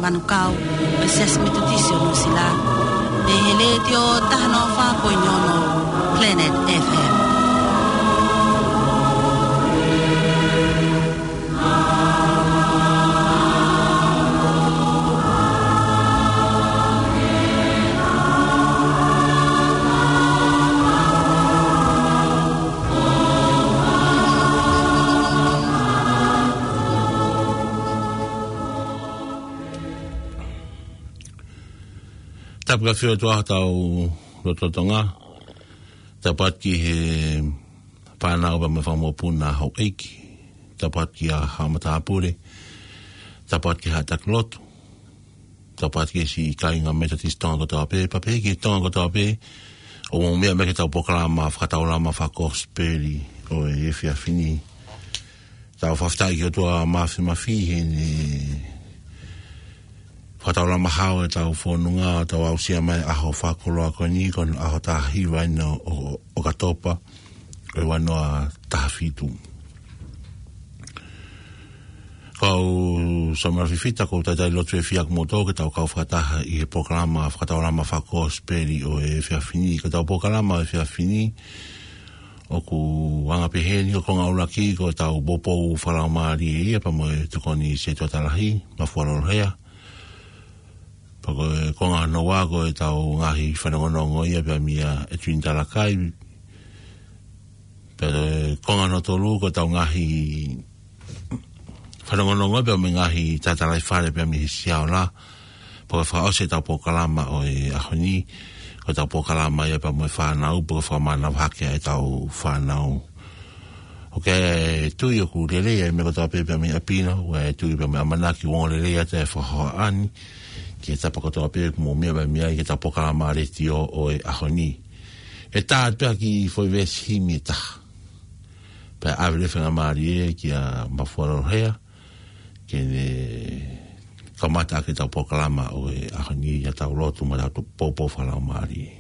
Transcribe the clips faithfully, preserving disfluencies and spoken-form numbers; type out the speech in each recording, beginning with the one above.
Manukau, ʻo e Siasi Metotisi ʻo Nuʻusila, mei he Letiō taha noa fā poini ono Planet F M. Tapu ki he ʻOtua ʻi hotau lotolotonga. Tapu atu ki he fānau pea mo e fanga mokopuna houʻeiki. Tapu atu ki he haʻa matāpule. Tapu atu ki he haʻa taki lotu. Tapu atu ki he siʻi kāinga Metotisi Tonga kotoa pē, pea pehē ki he Tonga kotoa pē, ʻoku mou meʻa mai ki heʻetau polokalama fakataulama fakakosipeli ʻo e efiafi ni. Tau fakafetaʻi ki he ʻOtua Māfimafi heʻene fakataulama hao ʻetau fononga, tau aʻusia mai ʻa e ʻaho fakakoloa ko eni, ko e ʻaho taha hiva ʻeni ʻo, ʻo, ʻo ʻOkatopa, ʻo e ua noa taha fitu. Ko au Samuela Fifita, ʻoku ou talitali lotu ʻe fiefia kimoutolu ke tau kau fakataha ʻi he polokalama fakataulama fakakosipeli ʻo e efiafi ni. Ko ʻetau polokalama ʻo e efiafi ni, ʻoku anga pehē ni, ko e konga ʻuluaki ko ʻetau poupou fakalaumālie ia pea mo e Tokoni Setuata Lahi, Mafua Lolohea. Pea ko e konga hono ua ko ʻetau ngaahi fanongonongo ia pea meia ʻEtuini Talakai. Pea ko e konga hono tolu ko ʻetau ngaahi fanongonongo pea mo e ngaahi tatalaifale pea mei he Siaola. Pea ko e fakaʻosi ʻetau polokalama ʻo e ʻaho ni, ko ʻetau polokalama ia pea mo e fānau, pea ko e fakamānava hake ʻetau fānau. ʻOku ou tui ʻoku lelei ʻa e meʻa kotoa pē pea mei ʻapi na, ʻoku ou tui pea mei ʻamanaki ʻoku ongo lelei atu e fakahohaʻa ni ki he tapa kotoa pē ʻoku mou meʻa mai ai ki heʻetau polokalama letiō ʻo e ʻaho ni. ʻE tā atu pē ha kiʻi foʻi veesi himi ʻe taha. Pea ʻave leva e faingamālie kia Mafua Lolohea ke ne kamata ʻaki ʻetau polokalama ʻo e ʻaho ni ʻi heʻetau lotu mo ʻetau poupou fakalaumālie.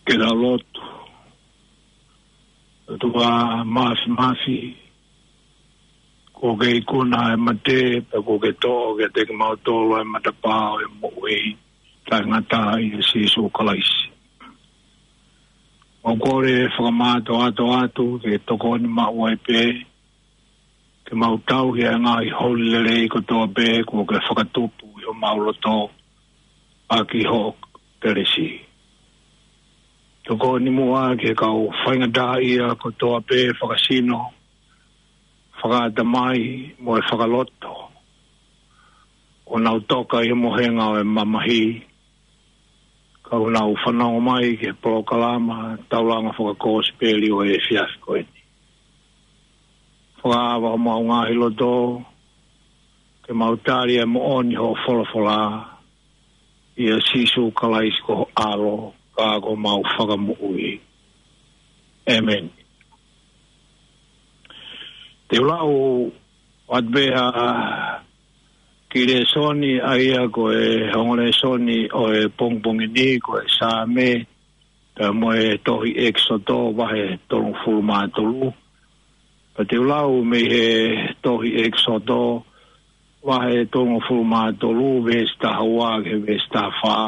Ke tau lotu. ʻOtua Māfimafi, kuo ke ikuna ʻa e mate, pea kuo ke toʻo kiate kimautolu ʻa e matapā ʻo e moʻui taʻengata ʻia Sīsū Kalaisi. ʻOku ou kole fakamātoato atu ke tokoni maʻu ai pē, ke mau tauhi ʻa e ngaahi holi lelei kotoa pē kuo ke fakatupu ʻi homau loto ʻaki hoʻo kelesi. Tokoni muʻa ki he kau faingataʻaʻia kotoa pē fakasino, fakaʻatamai mo e fakaloto, ʻoku nau toka ʻi he mohenga ʻo e mamahi, ka ʻoku nau fanongo mai ki he polokalama taulanga fakakosipeli ʻo e efiafi ko eni. Fakaava homau ngaahi loto ke mau tali ʻa e moʻoni hoʻo folofola, ʻia Sīsū Kalaisi ko ho ʻAlo, ka ko homau Fakamoʻui. ʻĒmeni. Te u lau atu pē ha kiʻi lēsoni, ʻa ia ko e ongo lēsoni ʻo e pongipongi ni, ko e Saame, pea mo e tohi ʻEkisoto vahe tolungofulu mā tolu. Pea te u lau mei he tohi ʻEkisoto vahe tolungofulu mā tolu, veesi taha ua ki he veesi taha fā.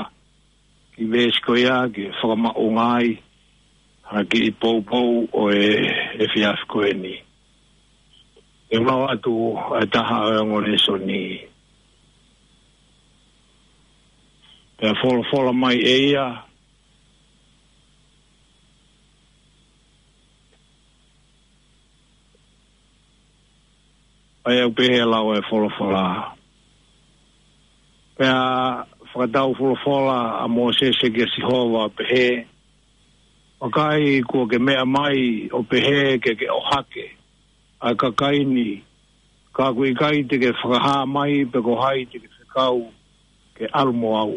Kiʻi veesi ko ia ke fakamaʻunga ai ha kiʻi poupou ʻo e efiafi ko eni. Te u lau atu ʻa e taha ʻo e ongo lēsoni. Pea folofola mai ʻe ia, ʻa ia ʻoku pehē ʻa e lau ʻa e folofola. Pea fakatau folofola ʻa Mōsese kia Sihova ʻo pehē, Vakai, kuo ke meʻa mai ʻo pehē ke ke ʻohake ʻa e kakai ni, ka ʻoku ʻikai te ke fakahā mai pe ko hai te ke fekau ke ʻalu mo au.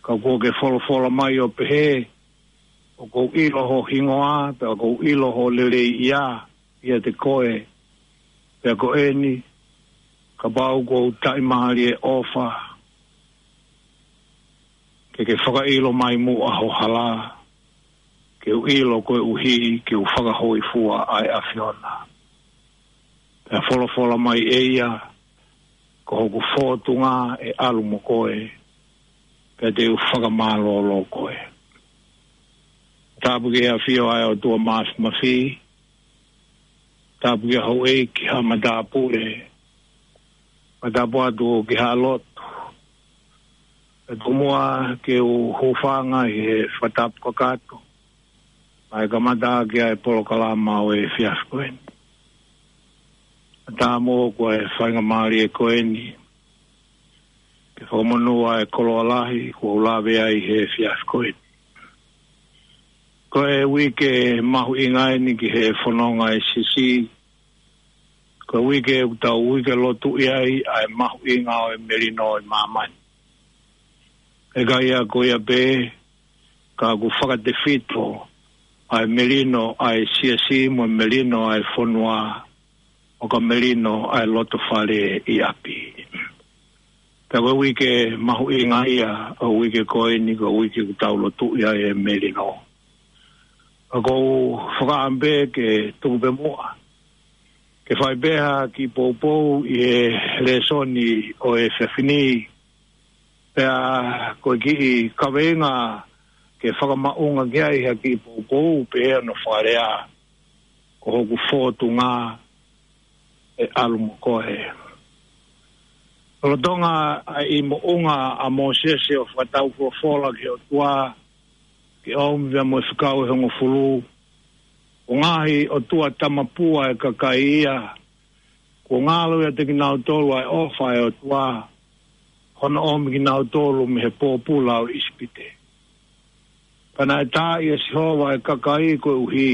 Ka kuo ke folofola mai ʻo pehē, ʻoku ou ʻilo ho hingoa, pea ʻoku ou ʻilo ho lelei ia, ʻiate koe, pea ko eni, kapau ʻoku ou taʻimālie ʻofa, ke ke fakaʻilo mai muʻa ho hala, ke u ʻilo koeʻuhi, ke u fakahōifua ʻa e ʻAfiona. Pea folofola mai ʻe ia, ko hoku fōtunga ʻe ʻalu mo koe, pea te u fakamālōlō koe. Tapu ki he ʻafio ʻa e ʻOtua Māfimafi, tapu ki haʻa houʻeiki, haʻa matāpule, pea tapu atu ki haʻa lotu. Pea tuku muʻa ke u hūfanga ʻi he fakatapu kakato, ʻa e kamata ki ai e polokalama ʻo e efiafi ko eni. Ka tā mo ko e faingamālie ko eni, ke fakamonū ʻa e koloa lahi, kuo u lave ai he efiafi ko eni. Ko e uike mahuʻinga eni ki he fononga ʻa e Siasi, ko e uike ʻoku tau uike lotu ʻi ai, ʻa e mahuʻinga ʻo e melino ʻi māmani. ʻIkai ia ko ia pē, ka ʻoku fakatefito ʻa e melino ʻa e Siasi mo e melino ʻa e fonua, ʻo ka melino ʻa e lotofale ʻi ʻapi. Pea ko e uike mahuʻinga ia ʻo e uike ko eni, ko e uike ʻoku tau lotu ʻi ai e melino. Ka ʻoku ou fakaʻamu pē ke tuku pē muʻa ke fai pē ha kiʻi poupou ʻi he lēsoni ʻo e efiafi ni. Pea ko e kiʻi kaveinga ke fakamaʻunga ki ai ha kiʻi poupou pē hono fakalea, ko hoku fōtunga ʻe ʻalu mo koe. Lolotonga ʻa e moʻunga ʻa Mōsese ʻo fakatau folofola ki he ʻOtua, ke ʻomi pea mo e fekau ʻe hongofulu, ʻo ngaahi ʻotua tamapua ʻa e kakai ia, kuo ngalo ʻiate kinautolu ʻa e ʻofa ʻa e ʻOtua, hono ʻomi kinautolu mei he pōpula ʻo ʻIsipite. Pea naʻe taaʻi ʻe Sihova ʻa e kakai koeʻuhi,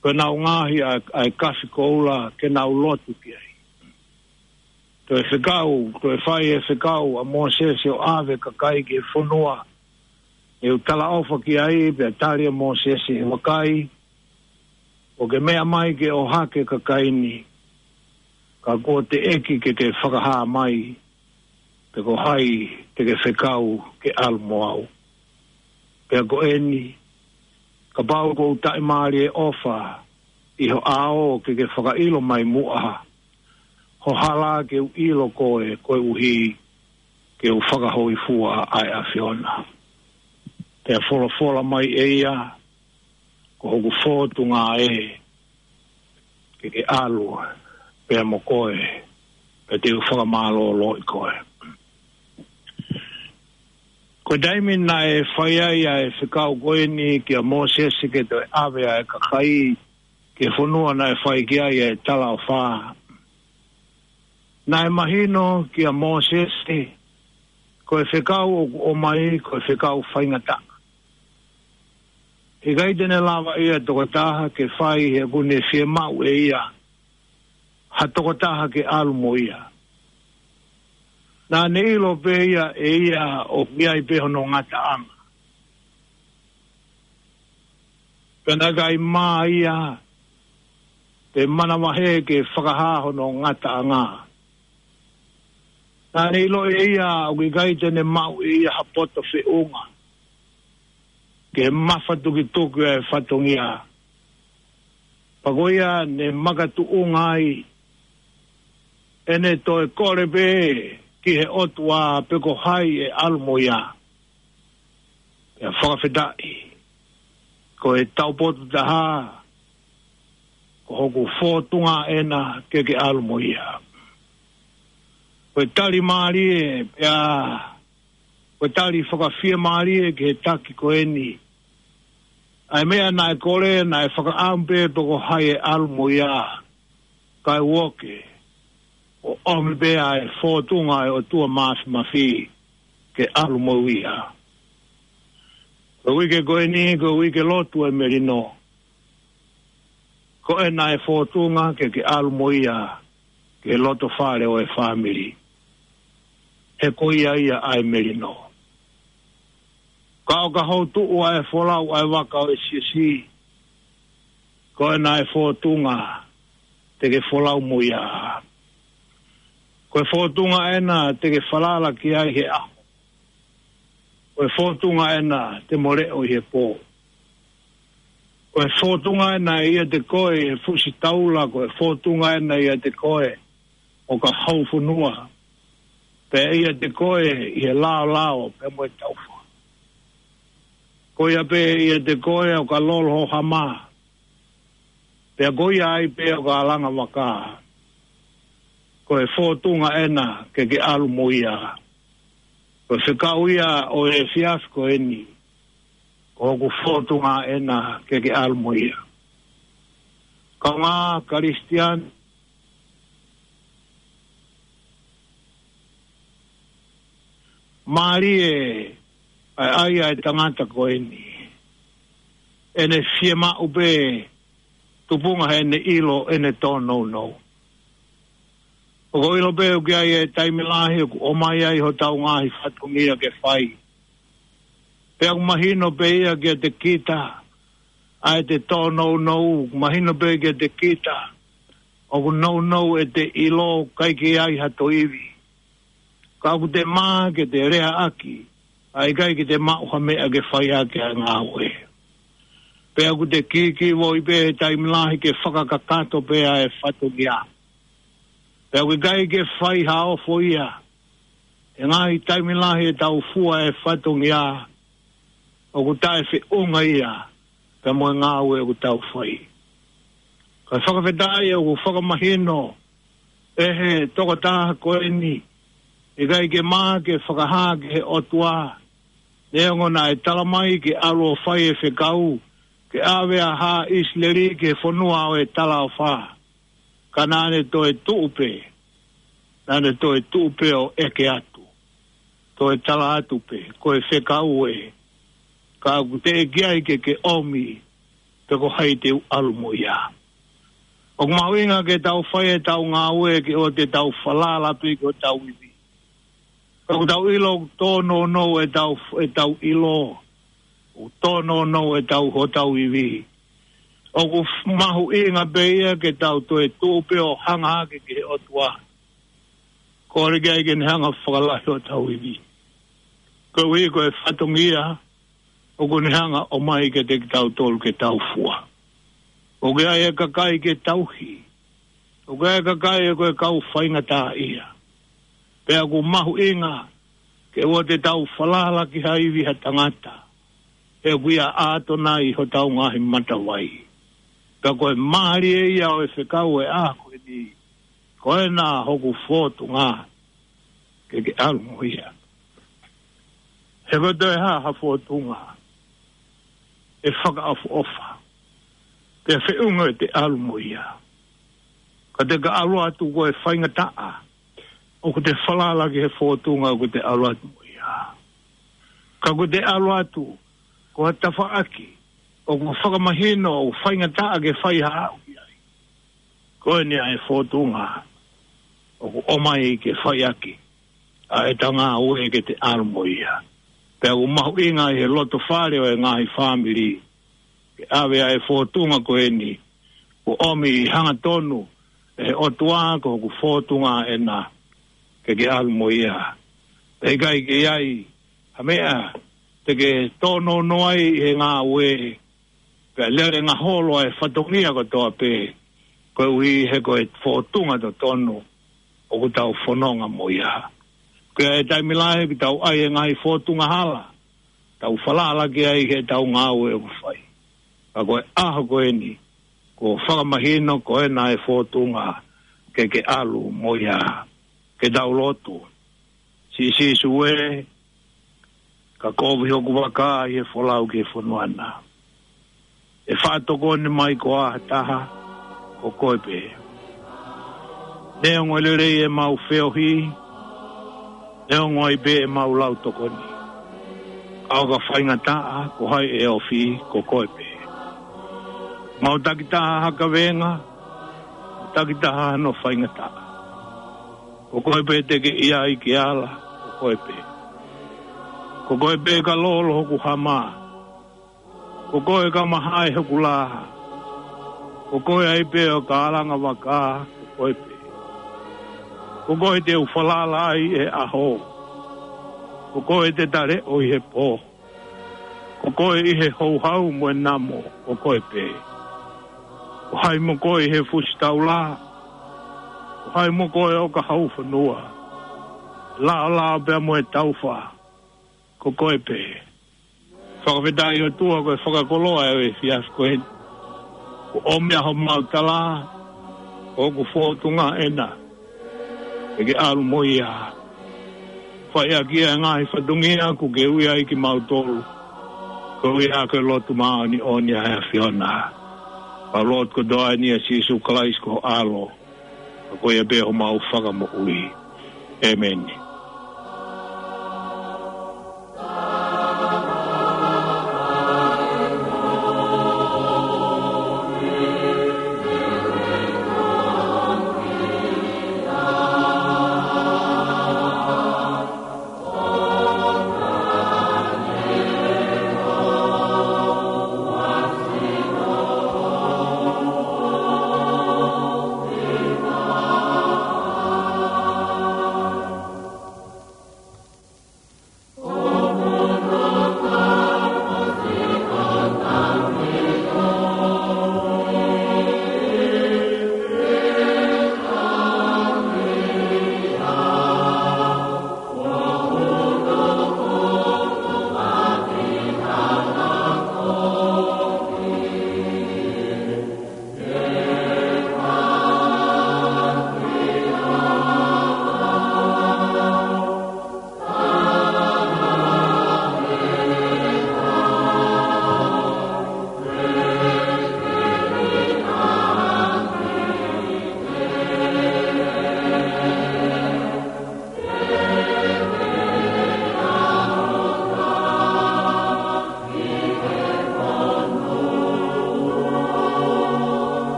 ko ʻenau ngaohi ʻa, ʻa e kafi koula ke nau lotu ki ai. Toe fekau, toe fai e fekau ʻa Mōsese ʻo ʻave kakai ki he fonua ʻoku talaʻofa ki ai, pea tali ʻe Mōsese, vakai, ʻoku ke meʻa mai ke ʻohake kakai ni, ka kuo teʻeki ke ke fakahā mai pe ko hai te ke fekau ke ʻalu mo au. Pea ko eni, kapau ʻoku ou taʻimālie ʻofa ʻi ho ʻao, ke ke fakaʻilo mai muʻa ho hala, ke u ʻilo koe, koeʻuhi ke u fakahōifua ʻa e ʻAfiona. Pea folofola mai ʻe ia, ko hoku fōtunga ē, ke ke ʻalu pea mo koe, pea te u fakamālōlōʻi koe. Ko e taimi naʻe fai ai ʻa e fekau ko eni kia Mōsese ke toe ʻave ʻa e kakai ki he fonua naʻe fai ki ai ʻa e talaʻofa, naʻe mahino kia Mōsese, ko e fekau ʻoku ʻomai, ko e fekau faingataʻa. ʻIkai te ne lava ʻe ia tokotaha ke fai, he ʻoku ne fiemaʻu ʻe ia ha tokotaha ke ʻalu mo ia. Naʻa ne ʻilo pē ia ʻe ia ʻoku ʻi ai pē hono ngataʻanga. Pea naʻe ʻikai mā ia pe manavahē ke fakahā hono ngataʻanga. Naʻa ne ʻilo ʻe ia ʻoku ʻikai te ne maʻu ʻe ia ha poto feʻunga ki he mafatukituki ʻa e fatongia. Pea ko ia ne makatuʻunga ai ʻene toe kole pē ki he ʻOtua pe ko hai ʻe ʻalu mo ia. Pea fakafetaʻi, ko e taupotu taha, ko hoku fōtunga ena, ke ke ʻalu mo ia. Ko e tali mālie, pea ko e tali fakafiemālie ki he taki ko eni. ʻA e meʻa naʻe kole, naʻe fakaʻamu pē pe ko hai ʻe ʻalu mo ia, kae ʻoua ke ʻomi pē ʻa e fōtunga ʻa e ʻOtua Māfimafi ke ʻalu mo ia. Ko e uike ko eni, ko e uike lotu ʻa e melino. Ko ena ʻa e fōtunga ke ke ʻalu mo ia ki he lotofale ʻo e fāmili. He ko ia ia ʻa e melino. Ka ʻo ka houtuʻu ʻa e folau ʻa e vaka ʻo e siasi, ko ena ʻa e fōtunga te ke folau mo ia. Ko e fōtunga ena te ke falala ki ai he ʻaho. Ko e fōtunga ena te mo leʻo ʻi he pō. Ko e fōtunga ena ʻiate koe he fusi taula, ko e fōtunga ena ʻiate koe ʻo ka hou fonua. Pea ʻiate koe ʻi he laolao pea mo e taufa. Ko ia pē ʻiate koe ʻo ka lolo ho hama. Pea ko ia ai pē ʻo ka langa vaka. Ko e fōtunga ena ke ke ʻalu mo ia. Ko e fekau ia ʻo e efiafi ko eni. Ko hoku fōtunga ena ke ke ʻalu mo ia. Kaungā Kalisitiane, mālie ʻa e ʻai ʻa e tangata ko eni. ʻEne fiemaʻu pē tupunga heʻene ʻilo ʻene tōnounou. ʻOku ou ʻilo pē ʻoku ʻi ai e taimi lahi ʻoku ʻomai ai hotau ngaahi fatongia ke fai. Pea ʻoku mahino pē ia kiate kita, ʻa e te tōnounou, ʻoku mahino pē kiate kita, ʻoku nounou ʻete ʻilo ʻikai ke ʻi ai ha toe ivi. Ka ʻoku te mā ke te leaʻaki, ʻa ʻikai ke te maʻu ha meʻa ke fai ʻaki ʻa e ngāue. Pea ʻoku te kīkīvoi pē he taimi lahi ke fakakakato pē ʻa e fatongia. Pea ʻoku ʻikai ke fai ha ofo ia, he ngaahi taimi lahi ʻetau fua e fatongia, ʻoku taʻe feʻunga ia, pea mo e ngāue ʻoku tau fai. Ka fakafetaʻi ʻoku fakamahino, ʻe he tokotaha ko eni, ʻikai ke mā ke fakahā ki he ʻOtua, neongo naʻe tala mai ke ʻalu ʻo fai e fekau, ke ʻave ʻa Haʻa ʻIsileli ki he fonua ʻo e talaʻofa. Ka naʻa ne toe tuʻu pē, naʻa ne toe tuʻu pē ʻo ʻeke atu. Toe tala atu pē, ko e fekau ē, ka ʻoku teʻeki ai ke ke ʻomi, pe ko hai te u ʻalu mo ia. ʻOku mahuʻinga ke tau fai ʻetau ngāue ke ʻoua te tau falala pē ki hotau ivi. Ka ʻoku tau ʻilo ʻoku tōnounou ʻetau, ʻetau ʻilo, ʻoku tōnounou ʻetau hotau ivi. ʻOku f-, mahuʻinga pē ia ke tau toe tuʻu pē ʻo hanga hake ki he ʻOtua. Kole ki ai ke ne hanga fakalahi hotau ivi. Koeʻuhi ko e fatongia, ʻoku ne hanga ʻomai kiate kitautolu ke tau fua. ʻOku ʻi ai e kakai ke tauhi. ʻOku ʻi ai e kakai ʻoku kau faingataʻaʻia. Pea ʻoku mahuʻinga, ke ʻoua te tau falala ki ha ivi ha tangata. He ʻoku ʻia ʻAtonai hotau ngaahi matavai. Ka ko e mālie ia ʻo e fekau e ʻaho ko eni. Ko ena hoku fōtunga ke ke ʻalu mo ia. He ko e toe hā ha fōtunga ʻe fakaʻofoʻofa. Pea feʻunga ʻete ʻalu mo ia. Ka te ka ʻalu atu ko e faingataʻa. ʻOku te falala ki he fōtunga ʻoku te ʻalu atu mo ia. Ka ʻoku te ʻalu atu ko ha tafaʻaki. ʻOku fakamahino ʻoku faingataʻa ke fai ha aʻu ki ai. Ko eni ʻa e fōtunga ʻoku ʻomai ke fai ʻaki ʻa ʻeta ngāue ke te ʻalu mo ia. Pea ʻoku mahuʻinga ʻi he loto fale ʻo e ngaahi fāmili. Ke ʻave ʻa e fōtunga ko eni. Kuo ʻomi ʻi hangatonu ʻe he ʻOtua ko hoku fōtunga ena. Ke ke ʻalu mo ia. Pea ʻikai ke ʻi ai ha meʻa te ke tōnounou ai ʻi he ngāue. Pea lele ngaholo ʻa e fatongia kotoa pē, koeʻuhi he ko e fōtunga totonu, ʻoku tau fononga mo ia. Ko e taimi lahi ʻoku tau ʻai e ngaahi fōtunga hala, tau falala ki ai he ʻetau ngāue ʻoku fai. Ka ko e ʻaho ko eni, kuo fakamahino ko ena e fōtunga ke ke ʻalu mo ia. Ke tau lotu. Siʻi Sīsū ē, ka kovi hoku vaka ʻi he folau ki he fonua na. ʻE faʻa tokoni mai koā ha taha, ko koe pē. Neongo e lelei ʻemau feohi, neongo ai pē ʻemau lau tokoni. Ka ʻo ka faingataʻa, ko hai ʻe ofi, ko koe pē. Mau takitaha ha kavenga, takitaha hano faingataʻa. Ko koe pē te ke ʻi ai ke ala, koe pē. Ko koe pē ka lolo hoku hama. Ko koe ka mahae hoku lā. Ko koe ai pē ʻoka alanga vaka, ko koe pē. Ko koe te u falala ai he ʻaho. Ko koe te ta leʻo ʻi he pō. Ko koe ʻi he houhau mo e namo, ko koe pē. ʻO hai mo koe ʻi he fusi taula. ʻO hai mo koe ʻoka hau fonua. Laolao pea mo e taufa, ko koe pē. Fakafetaʻi ʻOtua ko e fakakoloa ʻo e efiafi ko eni. Kuo ʻomi ʻa homau tala, ʻoku fōtunga ena. Ke ke ʻalu mo ia. Fai ʻaki ʻa e ngaahi fatongia kuo ke ui ai kimautolu. Ko ia ko e lotu māʻoniʻoni ʻa e ʻAfiona. Pea lotu kotoa eni ʻia Sīsū Kalaisi ko ho ʻAlo. Ko ia pē homau Fakamoʻui. ʻĒmeni.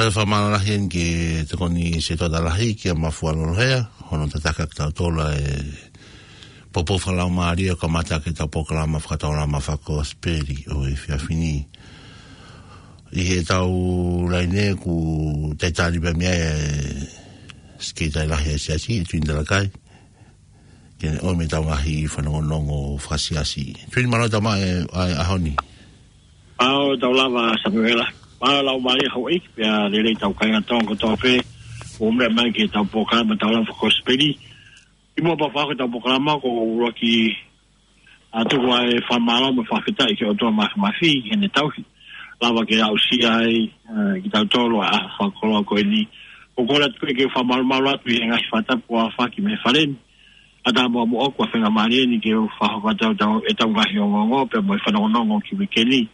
ʻOku fakamālō lahi eni ki he Tokoni Sētuata Lahi, kia Mafualolohea, hono tataki kitautolu ʻe he poupou fakalaumālie ʻo kamata ʻaki ʻetau polokalama fakataulama fakakosipeli ʻo e efiafi ni. ʻI heʻetau laine ʻoku talitali pē mei ai ʻa e Sekelitali Lahi ʻo e Siasi, ʻe Tuini Talakai, ke ne ʻomi ʻetau ngaahi fanongonongo fakasiasi. Tuini, mālō e tau maʻu e, ʻa e ʻaho ni. Mālō e tau lava, Samuela. Mālō e laumālie houʻeiki, pea lelei ʻetau kāinga Tonga kotoa pē ʻoku meʻa mai ki heʻetau polokalama taulama fakakosipeli. ʻI muʻa pea u fakahoko ʻetau polokalama, ʻoku ou ʻuluaki ʻa tuku ʻa e fakamālō mo e fakafetaʻi ki he ʻOtua Māfimafi, heʻene tauhi. Lava ke aʻusia ai, ʻa, kitautolu ʻa e fakakoloa ko eni. ʻOku ou kole atu pē ke u fakamalumalu atu ʻi he ngaahi fakatapu kuo aofaki mei he fale ni. ʻA tā mo ʻoku ʻa e faingamālie ni ke u fakahoko atu ʻetau, ʻetau ngaahi ongoongo, pea mo e fanongonongo ki he uike ni.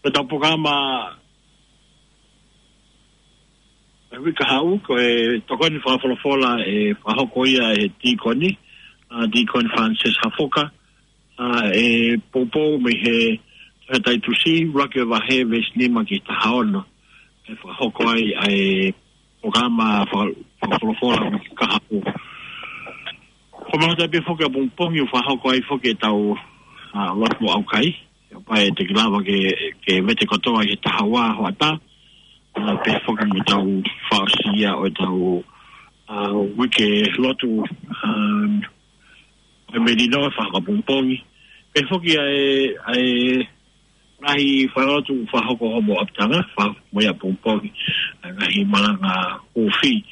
Ko ʻetau polokalama ʻo e uike kahaʻu, ko e tokoni fakafolofola ʻe fakahoko ia ʻe he tīkoni, ʻa, Tīkoni Francis Hafoka, ʻa, ʻe poupou mei he Tohi Taitusi, ʻuluaki vahe, veesi nima ki he taha ono. ʻE fakahoko ai ʻa e polokalama faka-, fakafolofola ʻo e uike kahaʻu. Ko e mahalo pē foki ʻapongipongi ʻoku fakahoko ai foki ʻetau, ʻa, lotu mo e ʻaukai. ʻE pau ʻe toki lava ke, ke vete kotoa ʻi he taha ua hoʻatā. ʻA, pea foki mo ʻetau fakaʻosi ia ʻo ʻetau, ʻa, uike lotu, ʻa, ʻo e melino ʻe fakahoko ʻapongipongi. Pea foki ʻa e, ʻa e ngaahi fakalotu fakahoko homou ʻapitanga, fakahoko ia ʻapongipongi. ʻA e ngaahi malanga kofi.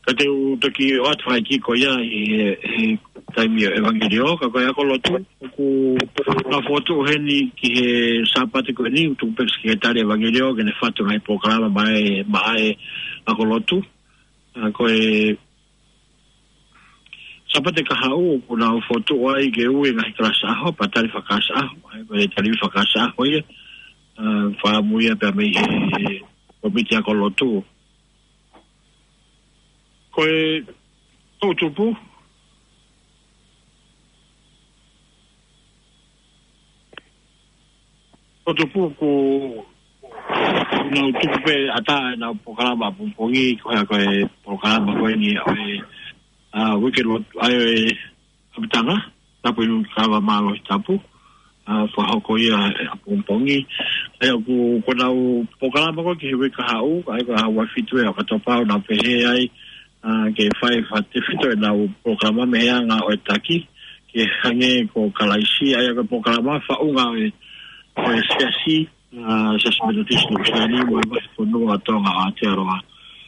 Ka te u toki ʻoatu ha kiʻi ko ia ʻi he, he taimi ʻo e ʻevangeliō, ka ko e ako lotu, ʻoku nau fokotuʻu heni ki he Sāpate ko eni, ʻoku tuku pē ki he Sekelitali ʻEvangeliō, ke ne fatu ngaahi polokalama maʻa e, maʻa e ako lotu. ʻA, ko e Sāpate kahaʻu, ʻoku nau fokotuʻu ai ke ui e ngaahi kalasi ʻaho, pea tali fakaʻaho, ʻa ia ko e tali fakaʻaho ia, ʻa, fakamuia pea mei he kōmiti ako lotu. Ko e toʻutupu, Ko Tupu ko nau tuku pē ʻatā ʻenau polokalama pongipongi, ko e, ko e polokalama ko eni ʻo e, ʻa, uike lotu, ʻa e, ʻapitanga, tapu inu kava mālohi tapu, ʻa, fakahoko ia ʻapongipongi. ʻA ia ko, ko nau polokalama ko ē ki he uike kahaʻu, ʻa ia ko e ʻaho ua fitu ʻo ʻOkatopa ʻoku nau pehē ai, ʻa, ke fai fakatefito ʻenau polokalama mei he anga ʻo e taki, ke hangē ko Kalaisi, ʻa ia ko e polokalama faʻunga ʻo e, ʻo e siasi, ʻa, Siasi Metotisi Nuʻusila ni mo e vahefonua ʻo Tonga ʻo Aotearoa.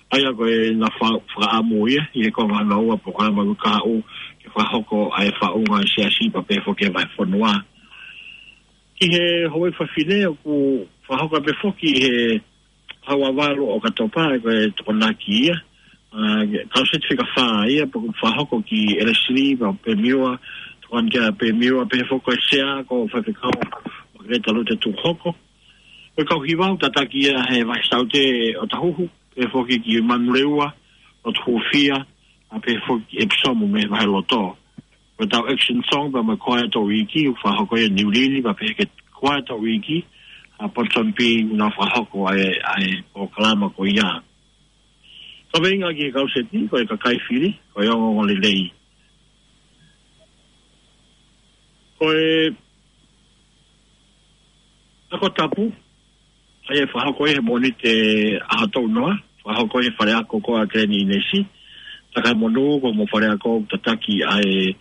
ʻA ia ko e na fa-, fakaʻamu ia, ʻi he konga hono ua polokalama uike kahaʻu, ke fakahoko ʻa e faʻunga ʻo e siasi pea pehē foki e vahefonua. Ki he Houʻeiki Fafine ʻoku fakahoko pē foki he ʻaho ua valu ʻo ʻOkatopa, ko e Tokonaki ia. ʻA, kauseti fika fā ia, pea ʻoku fakahoko ki Elesili, pea Pemiua, Tokoni kia Pemiua, pehē foki ko e Sea, ko Faifekau Makeleta Lute Tuʻuhoko. Ko e kau hiva ʻoku tataki ia he Vahe Saute ʻo Tahuhu, pehē foki ki Manurewa, ʻo Tuhufia, ʻa pehē foki ʻEpisomu mei he Vaheloto. Ko e tau action song pea mo e Quiet ʻo e Uike, ʻoku fakahoko ia ʻi Niu Lili, pea pehē ki he Quiet ʻo e Uike, ʻa Ponsonby, ʻoku nau fakahoko ʻa e, ʻa e polokalama ko ia. Kaveinga ki he kauseti, ko e kakai fili, ko e ongoongolelei. Ko e Ako Tapu, ʻa ia ʻe fakahoko ia he Mōnite ʻaho tolu noa, fakahoko ia he faleako ko ē ʻa Kileni ʻInesi, Takamonū, ko hoʻomou faleako tataki ʻa e,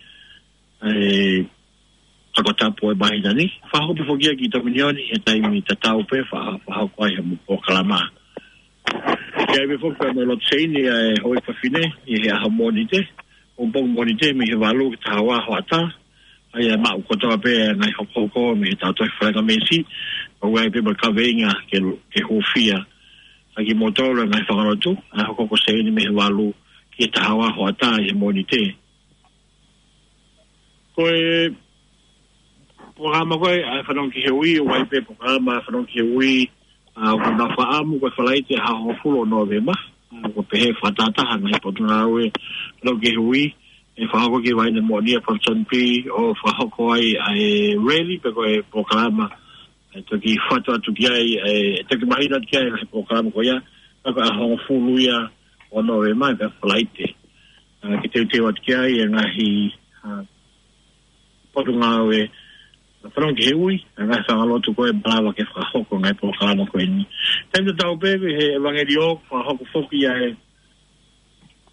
ʻa e Ako Tapu ʻo e māhina ni, fakahoko pē foki ia ki Tominioni, he taimi tatau pē fa-, fakahoko ai hoʻomou polokalama. Ki ai pē foki pea mo e lotu seini ʻa e Houʻeiki Fafine, ʻi he ʻaho Mōnite, pongipongi Mōnite, mei he valu ki he taha ua hoʻatā, ʻa ia ʻe maʻu kotoa pē ʻa e ngaahi hokohoko mei he tau tohi fakangamesi, ʻoku ʻi ai pē mo e kaveinga ke, ke hūfia ʻaki kimoutolu ʻa e ngaahi fakalotu, ʻa e hokohoko seini mei he valu ki he taha ua hoʻatā ʻi he Mōnite. Ko e polokalama ko ē ʻa e Fanongo ki he Ui, ʻoku ʻi ai pē polokalama ʻa e Fanongo ki he Ui, ʻa, ʻoku nau fakaʻamu ko e Falaite ʻaho hongofulu ʻo Nōvema, ʻa, ʻoku pehē fakatahataha ngaahi potungāue Fanongo ki he Ui, ʻe fakahoko ki he Vaine Moʻoni ʻa Ponsonby, ʻo fakahoko ai ʻa e rally pe ko e polokalama, ʻe toki fatu atu ki ai, ʻe toki mahino atu ki ai ʻa e polokalama ko ia, ka ko e ʻaho hongofulu ia ʻo Nōvema, ko e Falaite. ʻA, ke teuteu atu ki ai ʻa e ngaahi, ʻa, potungāue Fanongo ki he Ui, ʻa e ngaahi fakalotu ko ē ʻe malava ke fakahoko ngaahi polokalama ko eni. Taimi tatau pē ko e ʻEvangeliō, fakahoko foki ʻa e,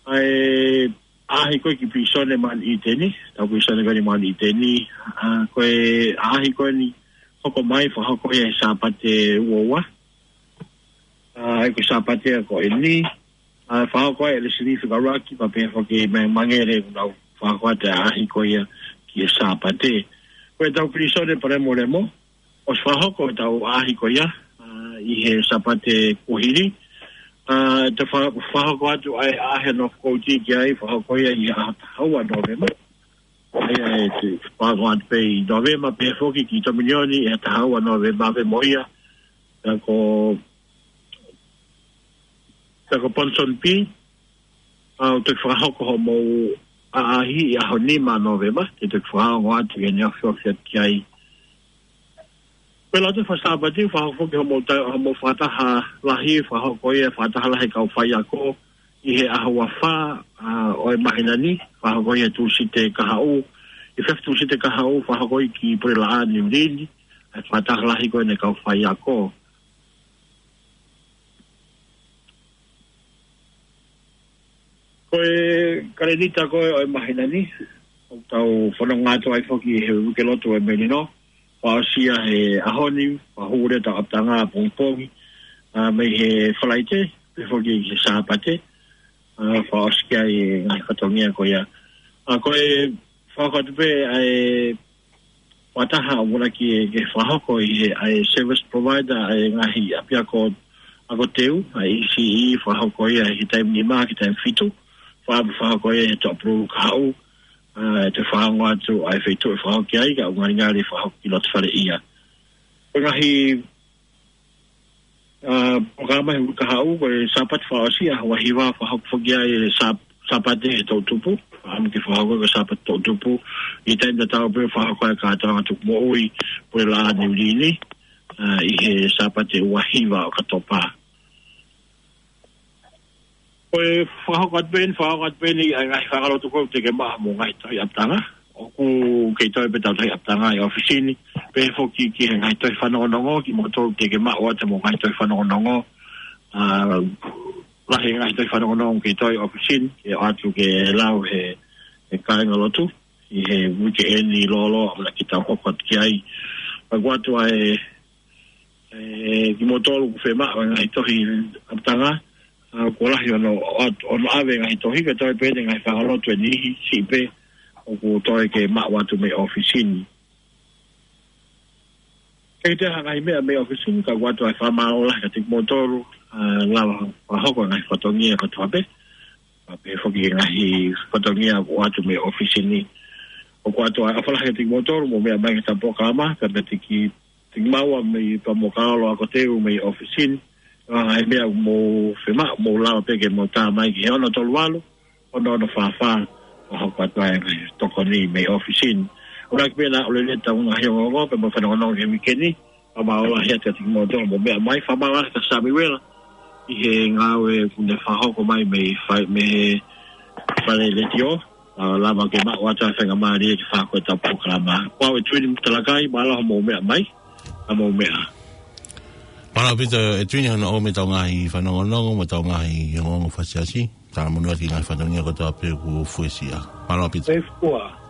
ʻa e ʻaʻahi ko ē ki pilīsone Mount Eden, tau pilīsone ko eni Mount Eden, ʻa, ko e ʻaʻahi ko eni hoko mai, fakahoko ia he Sāpate ua ua. ʻA, ʻa ia ko e Sāpate ko eni, ʻa, fakahoko ai ʻe Lesili Fikaruaki, pea pehē foki mei Mangere, ʻoku nau fakahoko atu ʻa e ʻaʻahi ko ia ki he Sāpate. Ko e tau pilīsone Palemolemo, ʻosi fakahoko e tau ʻaʻahi ko ia, ʻa, ʻi he Sāpate kuo hili. ʻA, te fa-, fakahoko atu ʻa e ʻaʻahi ʻo North Coast ki ai, fakahoko ia ʻi he ʻaho taha ua Nōvema. ʻA ia ʻe te fakahoko atu pē ʻi Nōvema, pehē foki ki Tominioni ʻi he taha ua Nōvema pē mo ia. Pea ko, pea ko Ponsonby, ʻa, ʻoku toki fakahoko hoʻomou ʻaʻahi ʻi he ʻaho nima Nōvema, te u toki fakaongo atu ʻi heʻene ofiofi atu ki ai. Pea ʻi he lotu fakasāpate, fakahoko foki hoʻomou ta-, hoʻomou fakataha lahi, fakahoko ia fakataha lahi kau faiako, ʻi he ʻaho ua fā, ʻa, ʻo e māhina ni, fakahoko ia Tūsite kahaʻu, ʻi he efiafi Tūsite kahaʻu, fakahoko ia ki Pulelaʻā Niu Lili, ʻa e fakataha lahi ko eni kau faiako. Ko e kalēnita ko ē ʻo e māhina ni, ʻoku tau fanongo atu ai foki he uike lotu ʻo e melino, fakaʻosi ia he ʻaho ni, fakahū leva ʻetau ʻapitanga pongipongi, ʻa, mei he Falaite, pehē foki ki he Sāpate, ʻa, fakaʻosi ki ai e ngaahi fatongia ko ia. ʻA, ko e fakahoko atu pē ʻa e fakataha ʻoku ʻamanaki ke fakahoko ʻi he, ʻa e service provider ʻa e ngaahi ʻapiako ako teu, ʻa e E C E, fakahoko ia he taimi nima ki he taimi fitu, faka-, fakahoko ia he Tuʻapululu kahaʻu, ʻa, ʻe toe fakaongo atu ʻa e feituʻu ʻe fakahoko ki ai, ka ʻoku ngalingali fakahoko ki Lotofaleʻia. Ko e ngaahi ʻA, polokalama he uike kahaʻu, ko e Sāpate fakaʻosi, ʻaho ua hiva, fakahoko foki ai e Sā-, Sāpate he toʻutupu. ʻAmu ke fakahoko ko e Sāpate toʻutupu. ʻI he taimi tatau pē fakahoko ai e kātoanga tuku moʻui, Pulelaʻā Niu Lili. ʻa, ʻi he Sāpate ua hiva ʻOkatopa. Ko e fakahoko atu pē eni, fakahoko atu pē eni ʻa e ngaahi fanga lotu ko ē ʻoku teʻeki ke maʻu mo e ngaahi tohi ʻapitanga. ʻOku kei toe pē ʻetau tohi ʻapitanga ʻi ʻōfisi ni. Pehē foki ki he ngaahi tohi fanongonongo, kimoutolu ʻoku teʻeki ke maʻu atu mo e ngaahi tohi fanongonongo. ʻA, lahi e ngaahi tohi fanongonongo kei toe ʻi ʻōfisi ni, ke ʻoatu ke lau ʻe he, he kāinga lotu ʻi he uike eni lōloa ʻamanaki ke tau hoko atu ki ai. Pea ʻoku ʻoatu ʻa e, ʻe, kimoutolu ʻoku fiemaʻu e ngaahi tohi ʻapitanga, ʻa, kuo lahi hono, hono ʻave e ngaahi tohi, kae toe pē eni e ngaahi fanga lotu ʻe niʻihi siʻi pē ʻoku toe ke maʻu atu mei ʻōfisi ni. Kei toe ha ngaahi meʻa mei ʻōfisi ni, ka ʻoku ʻoatu ʻa e fakamālō lahi kiate kimoutolu, ʻa, lava fakahoko e ngaahi fatongia kotoa pē. Pea pehē foki ki he ngaahi fatongia ʻoku ʻoatu mei ʻōfisi ni. ʻOku ʻoatu ʻa e ʻofa lahi kiate kimoutolu, mou meʻa mai ki heʻetau polokalama, ka mou teʻeki, teʻeki maʻu ʻa e meʻa pea mou kālolo ʻo teu mei ʻōfisi ni. ʻA, ngaahi meʻa ʻoku mou fiemaʻu, mou lava pē ke mou tā mai ki he ono tolu valu, ono ono fā fā, ʻo hoko atu ai e ngaahi tokoni mei ʻōfisi ni. ʻOku ʻikai ke pehē naʻa ʻoku lelei ʻetau ngaahi ongoongo, pea mo e fanongonongo ki he uike ni, fakamālō lahi atu kiate kimoutolu, mou meʻa mai, fakamālō lahi kia Samiuela, ʻi he ngāue ʻoku ne fakahoko mai mei fai-, mei he fale letiō, ʻa, lava ke maʻu atu ʻa e faingamālie ke fakahoko ʻetau polokalama. Ko au ʻe Tuini Talakai, mālō hoʻomou meʻa mai, ʻa mou meʻa. Mālō ʻaupito ʻe Tuini hono ʻomai ʻetau ngaahi fanongonongo, mo ʻetau ngaahi ongoongo fakaʻosi. Talamonū atu ki he ngaahi fatongia kotoa pē kuo fuesia. Mālō ʻaupito. ʻE fua.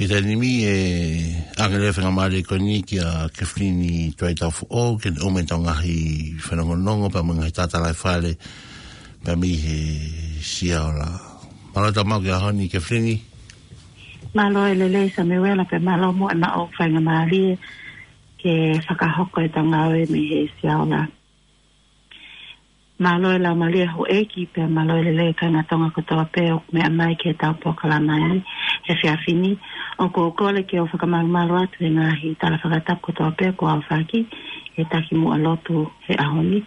ʻI he taimi ni ʻe ʻoange leva e faingamālie ko eni kia Kefilini Tuaitaufoʻou, ke ne ʻomai ʻetau ngaahi fanongonongo, pea mo e ngaahi tatalaifale, pea mei he Siaola. Mālō e tau maʻu ki he ʻaho ni Kefilini. Mālō e lelei Samiuela, pea mālō mo e maʻu faingamālie ke fakahoko ʻetau ngāue mei he Siaola. Mālō e laumālie houʻeiki, pea mālō e lelei kāinga Tonga kotoa pē ʻoku meʻa mai ki heʻetau polokalama ni he efiafi ni. ʻOku ou kole ke u fakamalumalu atu he ngaahi tala fakatapu kotoa pē kuo aofaki ʻe he takimuʻa lotu he ʻaho ni.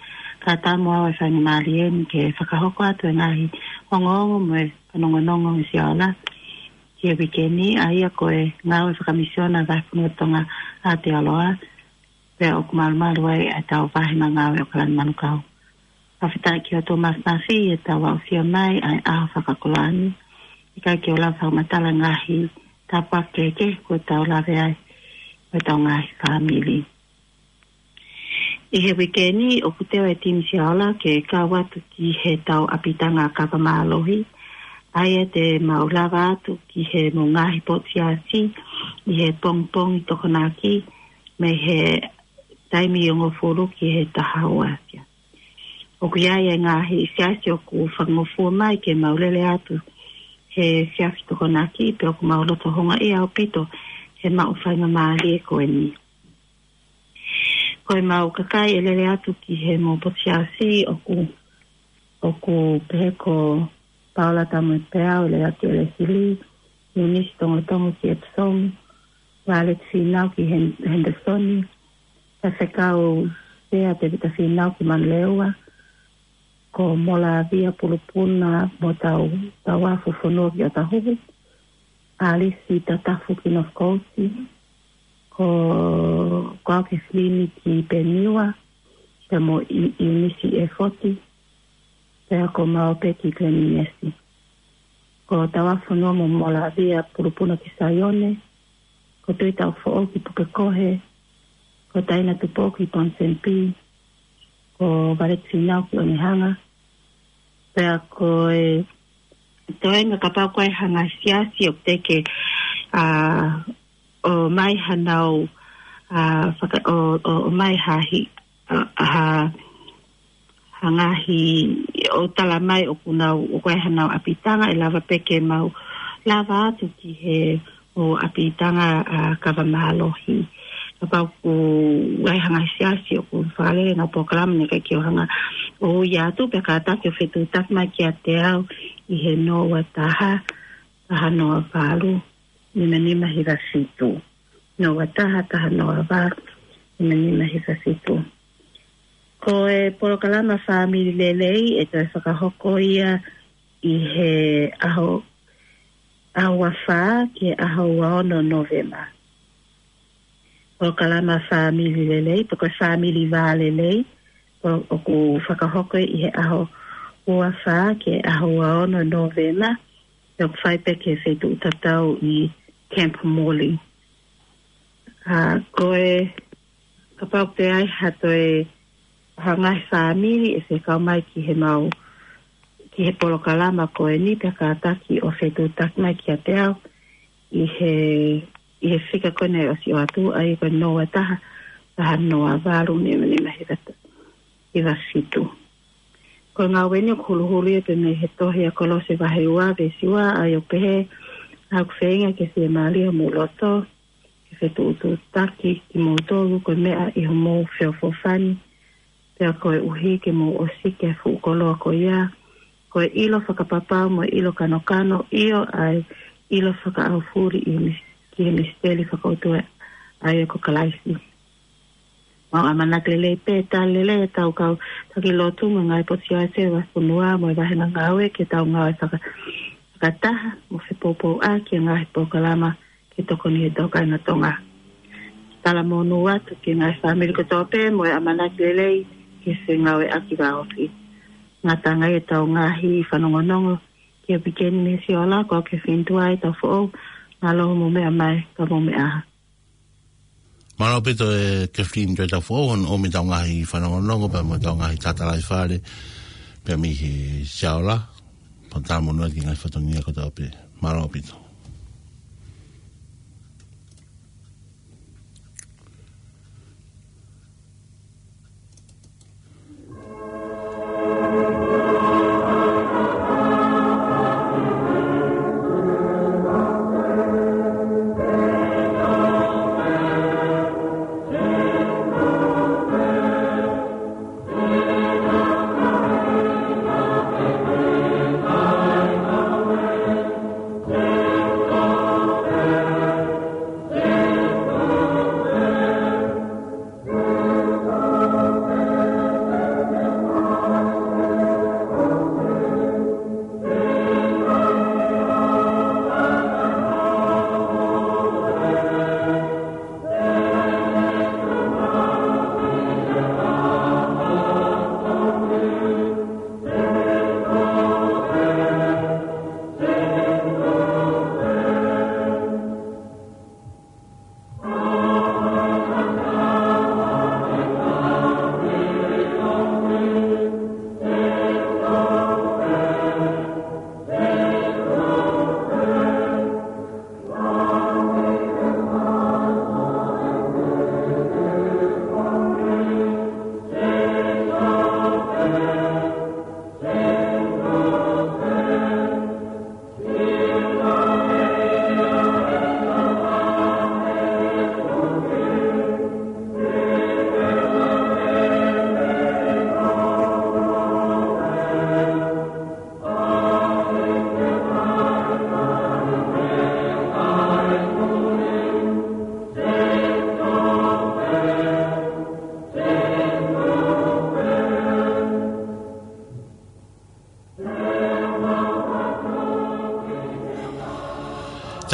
Kae ʻatā mo au e faingamālie ni ke fakahoko atu e ngaahi ongoongo mo e fanongonongo ʻa e Siaola ki he uike ni, ʻa ia ko e ngāue fakamisiona ʻa e Vahefonua Tonga ʻAotearoa, pea ʻoku malumalu ai ʻetau vahe ngāue ʻo ʻAokalani Manukau. Fakafetaʻi ki he ʻOtua Māfimafi ʻi heʻetau aʻusia mai ʻa e ʻaho fakakoloa ni. ʻIkai ke u lava fakamatala e ngaahi tāpuaki kehekehe kuo tau lave ai mo ʻetau ngaahi fāmili. ʻI he uike ni ʻoku teu e timi Siaola ke kau atu ki heʻetau ʻapitanga kava mālohi, ʻa ia te mau lava atu ki he mo e ngaahi potu siasi ʻi he pongipongi Tokonaki, mei he taimi ʻe hongofulu ki he taha ua sia. ʻOku ʻi ai e ngaahi siasi ʻoku fakangofua mai ke mau lele atu he siasi Tokonaki, pea ʻoku mau loto houngaʻia ʻaupito ʻe maʻu faingamālie ko eni. Ko ʻemau kakai ʻe lele atu ki he mou potu siasi ʻoku, ʻoku pehē ko Paula Tamuepeau, ʻe lele atu ki ʻElesili, Eunice Tongotongo ki Epsom, Violet Finau ki Hen-, Henderson, Faifekau Sea Tevita Finau ki Manurewa, ko Molavia Pulupuna mo Tau, Tauafu Fonua ki ʻOtahuhu, Alisi Tatafu ki North Coast, ko, ko au Kathleen ki Peniwa, pea mo I-, Iunisi ʻEfoti, pea ko Maope ki Gleninesi. Ko Tauafu Fonua mo Molavia Pulupuna ki Saione, ko Tui Taufoʻou ki Pukekohe, ko Taina Tupou ki Ponsonby, ko Violet Finau ki Onehunga, pea ko e toenga kapau ko e hanga siasi ʻo teke, ʻa, ʻomai hanau, ʻa, faka-, ʻo, ʻo, ʻomai ha hi-, ʻa, ha, ha ngaahi ʻo tala mai ʻoku nau, ʻoku ʻi ai hanau ʻapitanga ʻe lava pē ke mau lava atu ki he ʻo ʻapitanga ʻa kava mālohi. Kapau ʻoku ʻi ai ha ngaahi siasi ʻoku fakalele ʻenau polokalama naʻe ʻikai ke u hanga ʻo ui atu pea kātaki ʻo fetuʻutaki mai kiate au ʻi he noa ua taha, taha noa valu, nima nima hiva fitu. Noa ua taha, taha noa valu, nima nima hiva fitu. Ko e polokalama Fāmili Lelei ʻe toe fakahoko ia ʻi he ʻaho, ʻaho ua fā ki he ʻaho ua ono Novema. Polokalama Fāmili Lelei, pe ko e Fāmili Vā Lelei, ʻo, ʻoku fakahoko ʻi he ʻaho ua fā ki he ʻaho ua ono Novema, ʻoku fai pē ki he feituʻu tatau ʻi Camp Morley. ʻA, ko e kapau pē ʻe ʻi ai ha toe ha ngaahi fāmili ʻe fekau mai ki he mau, ki he polokalama ko eni pea kātaki ʻo fetuʻutaki mai kiate au ʻi he, ʻi he fika ko eni ʻosi ʻoatu, ʻa ia ko e noa ua taha, taha noa valu, nima nima hiva, hiva fitu. Ko e ngāue ni ʻoku huluhulu ia pē mei he tohi ʻa Kolose vahe ua veesi ua, ʻa ia ʻoku pehē, ʻa ʻoku feinga ke fiemālie homou loto, ke fetuʻutuʻutaki kimoutolu ko e meʻa ʻi homou feʻofoʻofani, pea koeʻuhi ke mou ʻosiki ʻa e fuʻu koloa ko ia, ko e ʻilo fakapapau mo e ʻilo kanokano, ʻio ʻa e ʻilo fakaʻaufuli ʻi he mis-, ki he misiteli fakaʻotua ʻa ia ko Kalaisi. Mau ʻamanaki lelei pē, tali lelei ʻetau kau taki lotu mo e ngaahi potu siasi ʻo e vahefonua mo e vāhenga ngāue ke tau ngāue faka-, fakataha mo fepoupouʻaki ʻa e ngaahi polokalama ke tokoni he tokanga Tonga. Talamonū atu ki he ngaahi fāmili kotoa pē mo e ʻamanaki lelei ke fengāueʻaki vāofi. Ngataʻanga ʻetau ngaahi fanongonongo ki he weekend ni Siola, ko au Kathleen Tuai Taufoʻou, mālō hoʻomou meʻa mai, ka mou meʻa ā. Mālō ʻaupito ʻe Kathleen Tuai Taufoʻou, hono ʻomi ʻetau ngaahi fanongonongo, pea mo ʻetau ngaahi tatalaifale, pea mei he Siola, pea talamonū atu ki he ngaahi fatongia kotoa pē. Mālō ʻaupito.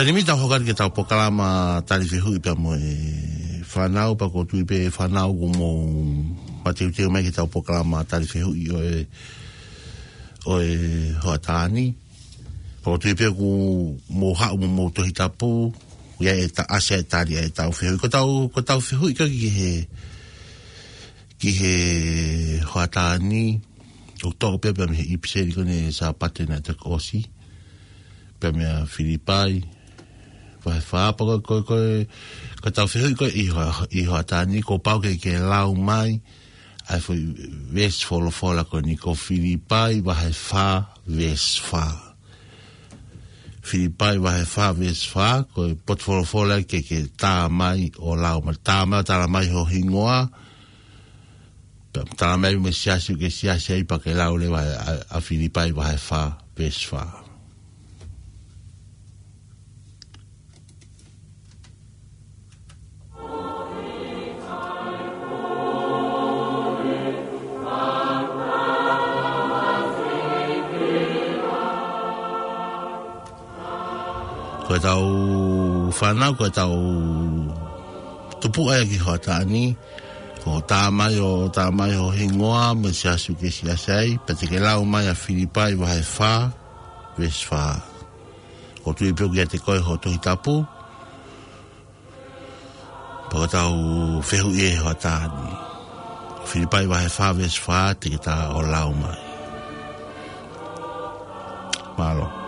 Taimi ni tau hoko atu ki heʻetau polokalama tali fehuʻi pea mo e fānau, pea ʻoku ou tui pē fānau kuo mou mateuteu mai ki heʻetau polokalama tali fehuʻi ʻo e, ʻo e hoʻatā ni. Pea ʻoku ou tui pē kuo mou haʻu mo hoʻomou Tohi Tapu, ʻi ai e ta-, ʻasi ai e tali ʻa ʻetau fehuʻi. Ko ʻetau, ko ʻetau fehuʻi ko ē ki he, ki he hoʻatā ni, ʻoku toʻo pē pea mei he ʻipiseli ko eni Sāpate naʻe toki ʻosi, pea mei a Filipai vahe fā. Pea ko, ko, ko, ko ʻetau fehuʻi ko ē ʻi ho-, ʻi hoʻatā ni, kuo pau ke ke lau mai ʻa e foʻi veesi folofola ko eni, ko Filipai vahe fā veesi fā. Filipai vahe fā veesi fā, ko e potu folofola ke ke tā mai ʻo lau mai. Tā mai ʻo tala mai ho hingoa, pea tala mai mo e siasi ʻoku ke siasi ai, pea ke lau leva ʻa, ʻa Filipai vahe fā veesi fā. Ko ʻetau fānau, ko ʻetau tupuʻa ia ki hoʻatā ni, ko e tā mai ʻo, tā mai ho hingoa mo e siasi ʻoku ke siasi ai, pea te ke lau mai ʻa Filipai vahe fā veesi fā. ʻOku ou tui pē ʻoku ʻiate koe ho Tohi Tapu, pea ko ʻetau fehuʻi ʻi hoʻatā ni. Filipai vahe fā veesi fā, te ke tā ʻo lau mai. Mālō. Mālō. Mālō.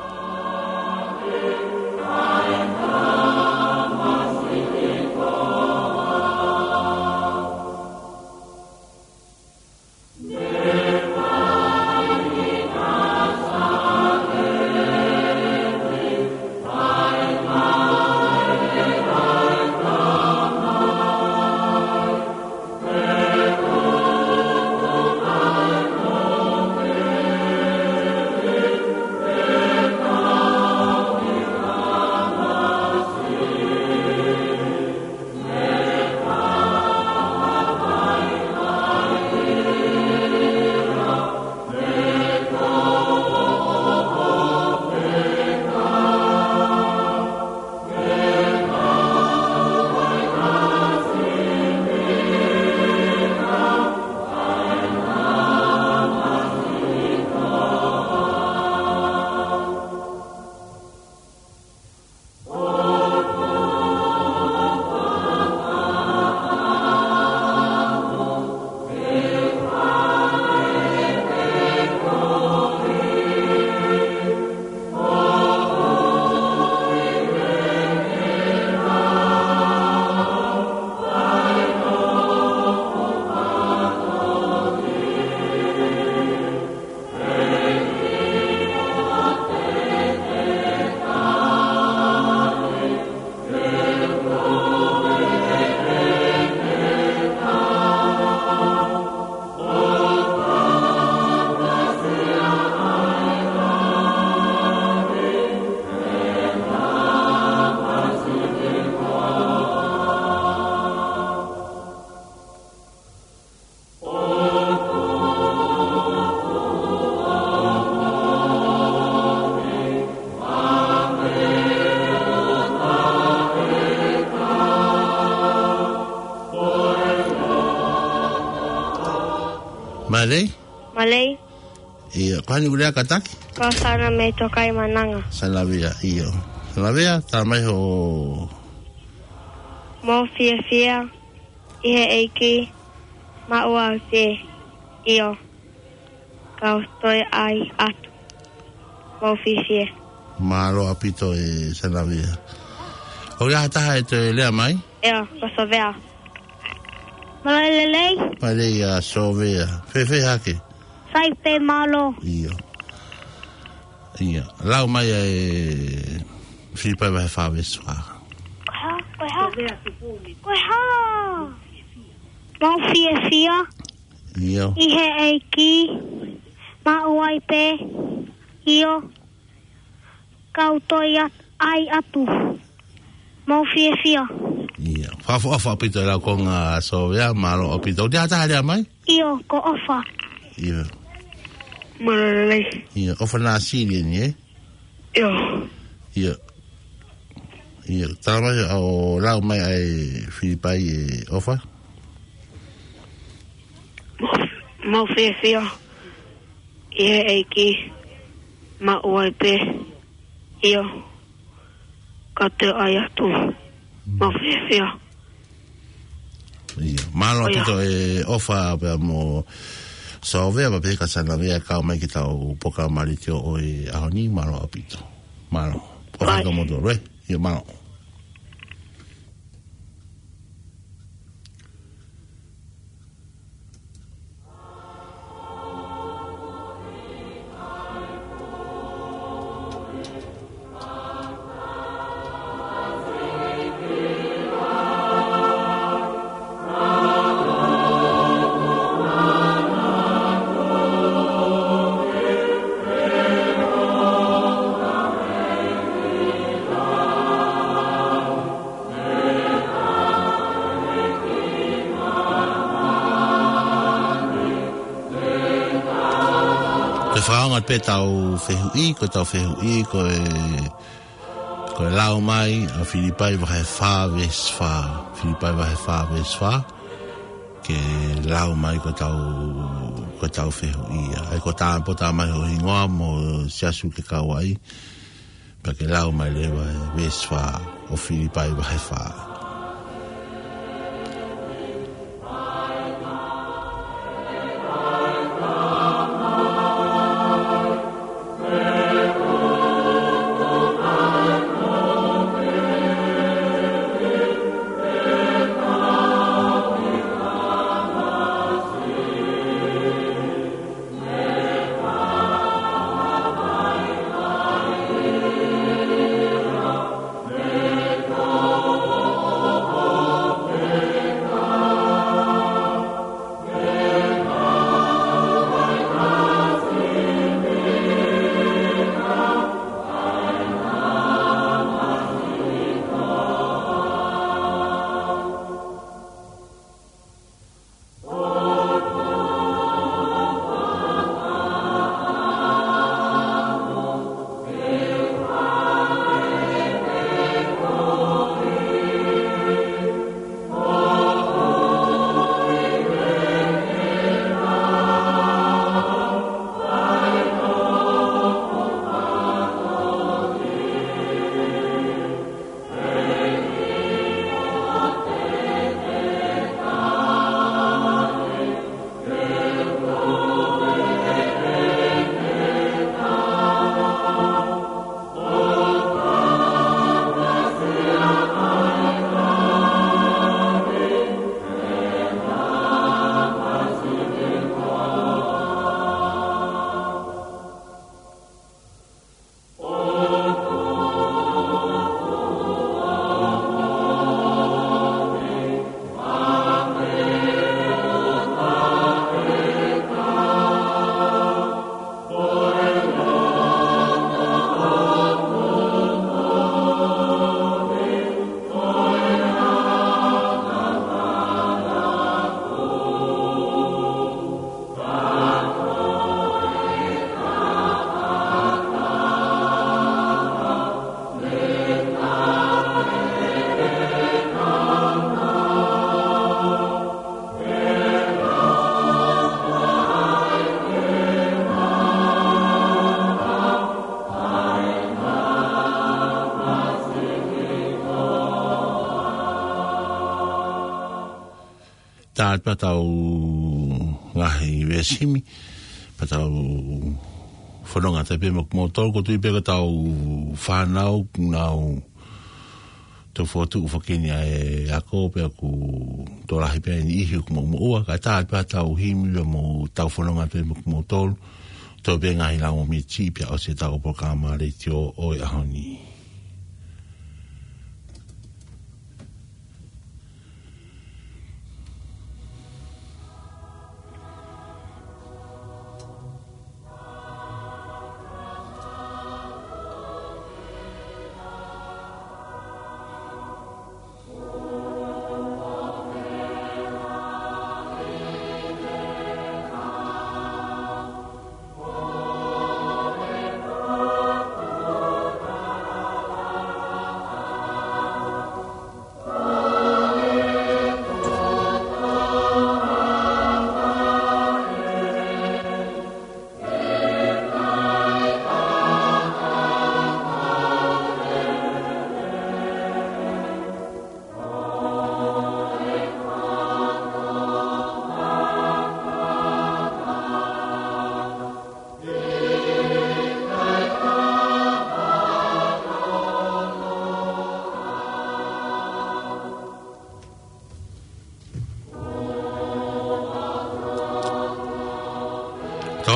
ʻIo, ko e hā hoʻo lea kātaki? Ko Sana mei Tokaimananga. Sanavea, ʻio. Sanavea, tā mai ho... Mou fiefia ʻi he ʻEiki, maʻu ai pē, ʻio, kau toe ʻai atu. Mou fiefia. Mālō ʻaupito e Sanavea. ʻOku ʻi ai ha taha ʻe toe lea mai? ʻIo, ko Sovea. Mālō e lelei. Mālō e Sovea. Fēfē hake? Sai pē, mālō. ʻIo. ʻIo. Lau mai ʻa e Filipai vahe fā veesi fā. Ko e hā? Ko e hā? Ko e hā? Mou fiefia. ʻIo. ʻI he ʻEiki, maʻu ai pē, ʻio, kau toe ʻai atu. Mou fiefia. ʻIo. Fakaʻofoʻofa ʻaupito e lau konga Sovea, mālō ʻaupito. ʻOku ʻi ai ha taha lea mai? ʻIo, ko ʻOfa. ʻIo. Mālō e lelei. ʻIo, ʻOfa Nāsili eni, ē? ʻIo. ʻIo. ʻIo, tala mai ʻo lau mai ʻa e Filipai ʻe ʻOfa. Mau fiefia ʻi he ʻEiki, maʻu ai pē. ʻIo, ka te ʻai atu. Mau fiefia. ʻIo, mālō ʻaupito ʻe ʻOfa pea mo Sōvea, pea pehē ka Sanavea kau mai ki heʻetau polokalama letiō ʻo e ʻaho ni, mālō ʻaupito. Mālō. ʻOfa ʻae. Ka mo tō, ē? ʻIo, mālō. Ke fakaonga pē ʻetau fehuʻi, ko ʻetau fehuʻi, ko e, ko e lau mai ʻa Filipai vahe fā veesi fā. Filipai vahe fā veesi fā. Ke lau mai ko ʻetau, ko ʻetau fehuʻi ia. ʻAi ko e tā, pea tā mai ho hingoa mo e siasi ʻoku ke kau ai. Pea ke lau mai leva e veesi fā ʻo Filipai vahe fā. Tā atu pea tau ngaahi veesi himi, pea tau fononga atu pē mo kimoutolu, ʻoku ou tui pē ko ʻetau fānau, nau tau fotu ʻufaʻaki ni ʻa e ako pea ʻoku tokolahi pē ʻa e niʻihi ʻoku moʻumoʻua, ka tā atu pea tau himi pea mo tau fononga atu pē mo kimoutolu, tau pē ngaahi lau mo miti pea ʻosi ʻetau polokalama letiō ʻo e ʻaho ni.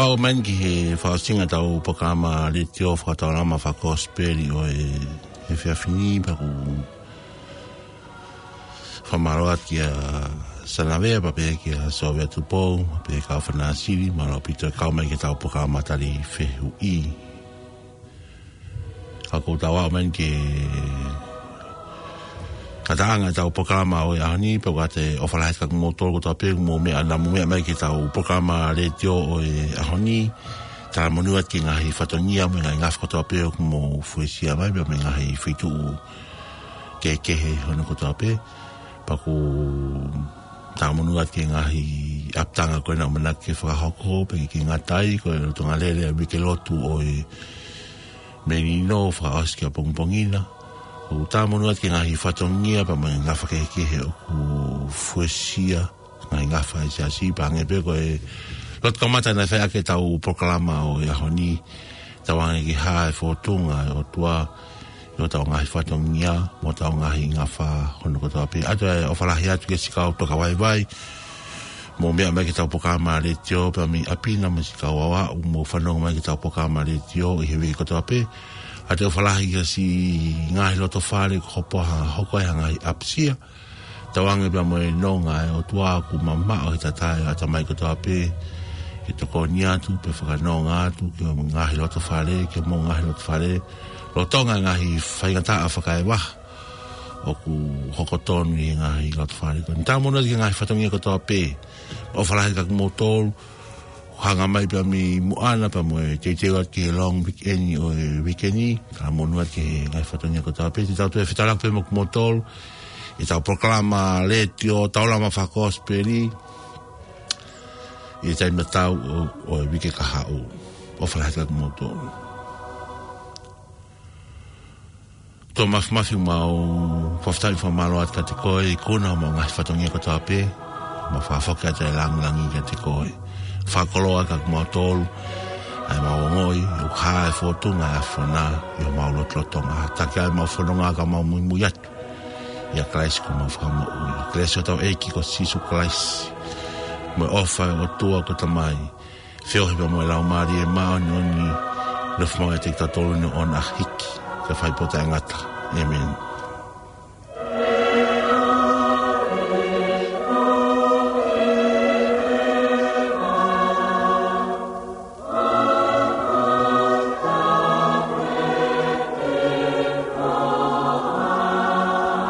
Aʻu mai eni ki he fakaʻosinga ʻetau polokalama letiō fakataulama fakakosipeli ʻo e, he efiafi ni, pea ʻoku ou fakamālō atu kia Sanavea, pea pehē kia Sovea Tupou, pea pehē kia Fanasili, mālō ʻaupito e kau mai ki heʻetau polokalama tali fehuʻi. Ka ʻoku ou tau aʻu mai eni ki he ngataʻanga ʻetau polokalama ʻo e ʻaho ni, pea ʻoku ou ʻoatu e ʻofa lahi atu kiate kimoutolu kotoa pē ʻoku mou meʻa, naʻa mou meʻa mai ki heʻetau polokalama letiō ʻo e ʻaho ni. Talamonū atu ki he ngaahi fatongia mo e ngaahi ngafa kotoa pē ʻoku mou fuesia mai, pea mo e ngaahi feituʻu kehekehe hono kotoa pē. Pea ʻoku ou talamonū atu ki he ngaahi ʻapitanga ko ena ʻoku ʻamanaki ke fakahoko, pea ʻikai ke ngata ai, ko e lolotonga lele ʻa e uike lotu ʻo e Melino fakaʻosi ki ʻapongipongi na. ʻOku ou talamonū atu ki he ngaahi fatongia pea mo e ngafa kehekehe ʻoku fuesia, ngaahi ngafa ʻa e siasi, pea hangē pē ko e lotu kamata naʻe fai ʻaki ʻetau polokalama ʻo e ʻaho ni, tauange ke hā e fōtunga ʻo e ʻOtua ʻi hotau ngaahi fatongia mo hotau ngaahi ngafa hono kotoa pē. ʻOatu e ʻofa lahi atu kia siʻi kau tokavaivai ʻoku mou meʻa mai ki heʻetau polokalama letiō pea mei ʻapi na, mo siʻi kau aʻu ʻoku mou fanongo mai ki heʻetau polokalama letiō ʻi he uike kotoa pē. ʻOatu e ʻofa lahi kia siʻi ngaahi loto fale ʻoku hopo ha, hoko ai ha ngaahi ʻapisia. Tauange pea mo e nonga ʻa e ʻOtua ʻoku mamaʻo he tatae ʻa e ʻatamai kotoa pē, ke tokoni atu, pea fakanonga atu ki he ngaahi loto fale, ki homou ngaahi loto fale, lolotonga e ngaahi faingataʻa fakaevaha ʻoku hoko tonu ʻi he ngaahi loto fale ko eni. Talamonū atu ki he ngaahi fatongia kotoa pē. ʻOfa lahi atu kiate kimoutolu ʻoku hanga mai pea mei muʻa na pea mo e teuteu atu ki he long weekend ʻo e uike ni. Talamonū atu ki he ngaahi fatongia kotoa pē. Te tau toe fetaulaki pē mo kimoutolu ʻi heʻetau polokalama letiō taulama fakakosipeli ʻi he taimi tatau ʻo, ʻo e uike kahaʻu. ʻOfa lahi atu kiate kimoutolu. ʻOtua Māfimafi, ʻoku mau fakafetaʻi, fakamālō atu kiate koe ʻi he ikunaʻi ʻemau ngaahi fatongia kotoa pē. Mau fakafoki atu e lāngilangi kiate koe. Fakakoloa kiate kimautolu ʻa ʻemau ongoʻi ʻoku hā e fōtunga ʻa e ʻAfiona ʻi homau lotolotonga. Taki ʻa ʻemau fononga ka mau muimui atu ʻia Kalaisi ko homau Fakamoʻui. Kelesi ʻa hotau ʻEiki ko Sīsū Kalaisi, mo e ʻofa ʻa e ʻOtua ko e Tamai, feohi pea mo e Laumālie Māʻoniʻoni, nofo maʻu ʻiate kitautolu ʻo aʻu ki he ʻaho ʻe hiki, kae fai pē ʻo taʻengata. ʻĒmeni.